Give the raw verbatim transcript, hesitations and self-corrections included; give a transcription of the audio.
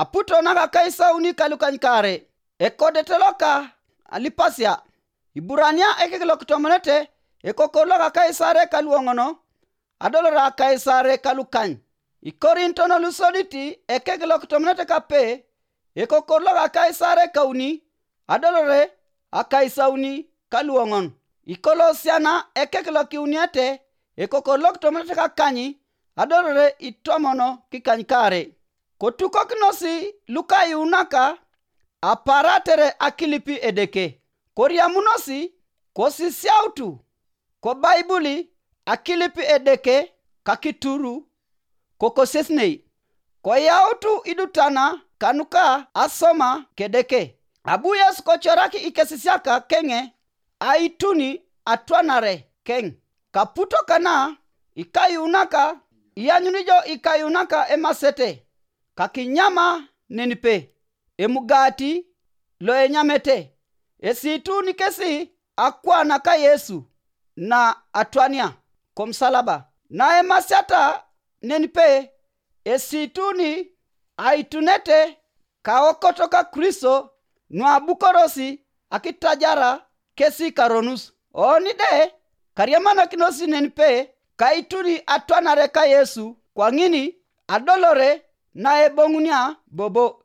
Aputo naka akaisauni ka lukanykaare. Ekodete loka alipasia. Iburania ekek lokitomonete, ekokor loka akaisaare ka luoŋono, adolore akaisaare ka lukany. Ikorinton lusodit ekek lokitomonete kape, ekokor loka akaisaare kauni, adolore akaisauni ka luoŋon. Ikolosiana ekek lokiuniete, ekokor lokitomonete kakany, adolore itomon kikanykaare. Kotukokinos lukayuunaka aparatere akilip Edeke, koriamunos, kosisiautu, kobaibuli akilip Edeke kakituru, kokosiesinei, koyautu idutana kanuka asoma kedeke. Abu Yesu kocorak ikesisiak keŋe aituni atwanare keŋ. Kaputo kana ikayuunaka, ianyuni jo ikayuunaka emasete, kakinyama nenipe emugati loenyamete, esiituni kesi akwana ka Yesu na atwania komusalaba. Naemasiata nenipe esiituni aitunete kaokoto ka Kristo nuabukorosi akitajara kesi karonus. Oni de kariamanakinos nenipe kaituni atwanare ka Yesu kwaŋin adolore naeboŋunia bobo.